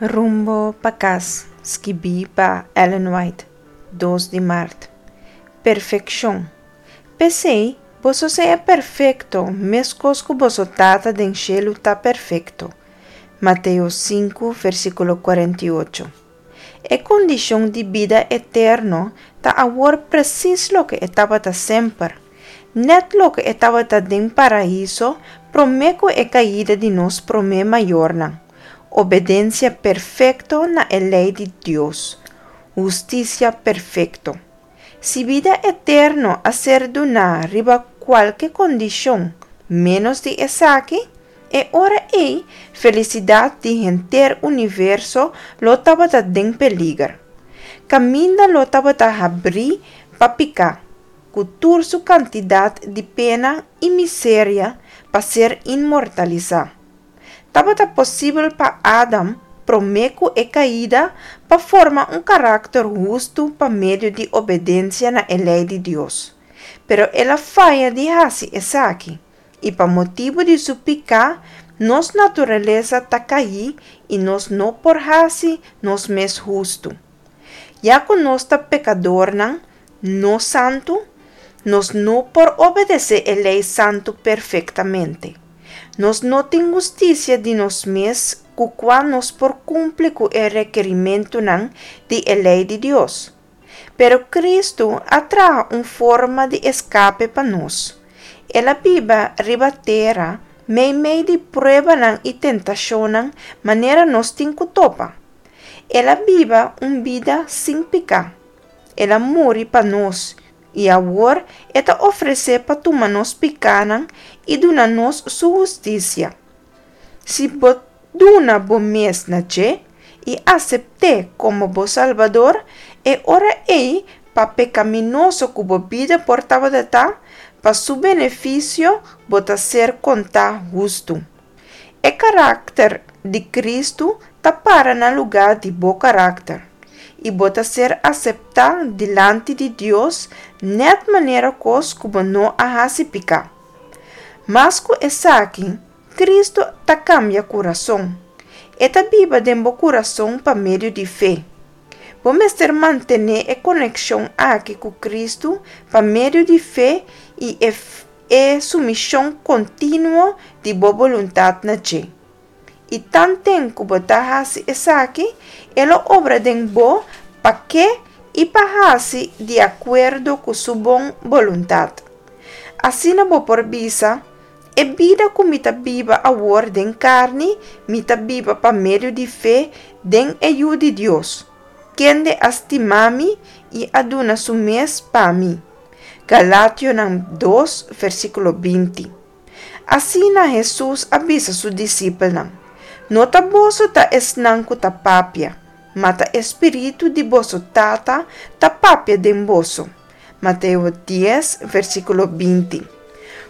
Rumbo pa kas, skibí pa Ellen White, dos di mart. Perfekshon. P'esei, boso sea perfekto meskos ku boso Tata den shelu ta perfekto. Mateo sinku, versíkulo 48. E kondishon di bida eterno ta awor presis loke e tabata semper, nèt loke e tabata den Paraíso promé ku e kaida di nos promé mayornan, obedensia perfekto na e lei di Dios, hustisia perfekto. Si bida eterno a ser duná riba kualke kondishon ménos di esaki, e ora ei felisidat di henter universo lo tabata den peliger. Kaminda lo tabata habrí pa piká, ku tur su kantidat di pena i miseria pa ser inmortalisá. Tabata posibel pa Adam, promé ku e kaida, pa forma un karakter hustu pa medio di obedensia na e lei di Dios. Pero el a faya di hasi esaki, i pa motibu di su piká, nos naturalesa ta kaí i nos no por hasi nos mes hustu. Ya ku nos ta pekadornan no santu, nos no por obedesé e lei santu perfektamente. Nos no tin hustisia di nos mes ku kua nos por kumpli ku e rekerimentunan di e lei di Dios. Pero Kristu a traha un forma di eskape pa nos. El a biba riba tera meimei di pruebanan i tentashonnan manera nos tin ku topa. El a biba un bida sin piká. El a muri pa nos, i awor e ta ofresé pa tuma nos pikánan i duna nos su hustisia. Si bo duna bo mes na dje i asept'é komo bo Salbador, e ora ei, pa pekaminoso ku bo bida por tabata ta, pa su benefisio bo ta ser kontá hustu. E karakter di Kristu ta para na lugá di bo karakter, i bo ta ser aseptá dilanti di Dios nèt manera kos ku bo no a hasi piká. Mas ku esaki, Kristu ta kambia kurason. E ta biba den bo kurason pa medio di fe. Bo mester mantené e konekshon aki ku Kristu pa medio di fe i e E sumishon kontinuo di bo boluntat na dje. I tanten ku bo ta hasi esaki, e lo obra den bo pa ke i pa hasi di akuerdo ku su bon boluntat. Asina bo por bisa, E bida ku mi ta biba awor den karni, mi ta biba pa medio di fe den e Yu di Dios, kende a stima mi i a duna su mes pa mi. Galationan dos, versíkulo 20. Asina Hesus a bisa su disipelnan, No ta boso ta esnan ku ta papia, ma ta e spiritu di boso Tata ta papia den boso. Mateo dies, versíkulo 20.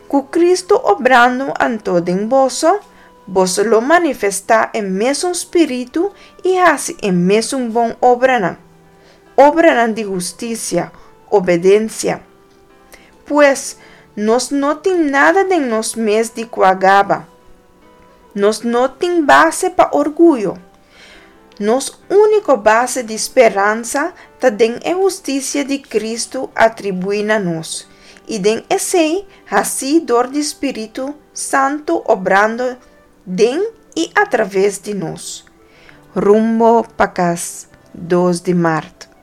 Ku Kristu obrando anto den boso, boso lo manifestá e mesun spiritu i hasi e mesun bon obranan. Obranan di hustisia, obedensia. Pues, nos no tin nada den nos mes di kua gaba. Nos no tin base pa orguyo. Nos úniko base di speransa ta den e hustisia di Kristu atribuí na nos, i den esei hasí dor di Spiritu Santu obrando den i atraves di nos. Rumbo pa kas, dos di mart.